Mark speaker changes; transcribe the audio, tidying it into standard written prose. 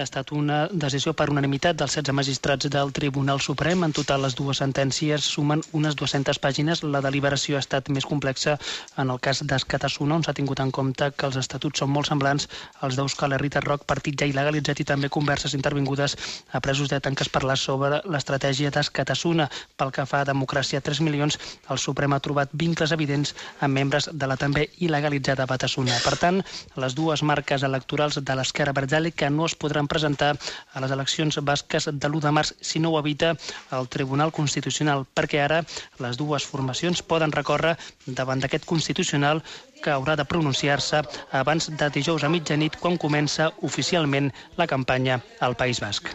Speaker 1: Ha estat una decisió per unanimitat dels 16 magistrats del Tribunal Suprem. En total, les dues sentències sumen unes 200 pàgines. La deliberació ha estat més complexa en el cas d'Escatasuna, on s'ha tingut en compte que els estatuts són molt semblants als d'Euskal Herritar Rock, partit ja il·legalitzat, i també converses intervingudes a presos d'ETA en què es parla sobre l'estratègia d'Escatasuna. Pel que fa a Democràcia 3 milions, el Suprem ha trobat vincles evidents amb membres de la també il·legalitzada Batasuna. Per tant, les dues marques electorals de l'Esquerra Abertzale que no es podran presentar a les eleccions basques de l'1 de març si no ho evita el Tribunal Constitucional, perquè ara les dues formacions poden recórrer davant d'aquest Constitucional, que haurà de pronunciar-se abans de dijous a mitjanit, quan comença oficialment la campanya al País Basc.